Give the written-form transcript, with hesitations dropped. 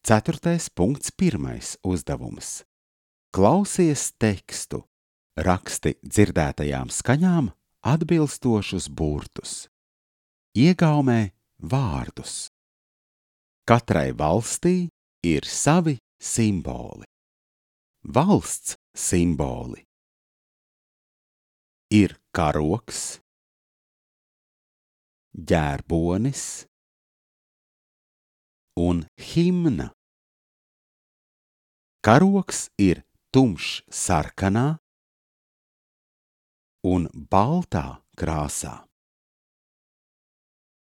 4.1. uzdevums. Klausies tekstu, raksti dzirdētajām skaņām atbilstošus burtus. Iegaumē vārdus. Katrai valstī ir savi simboli. Valsts simboli ir karogs, ģērbonis un himna. Karogs ir tumšs sarkanā un baltā krāsā.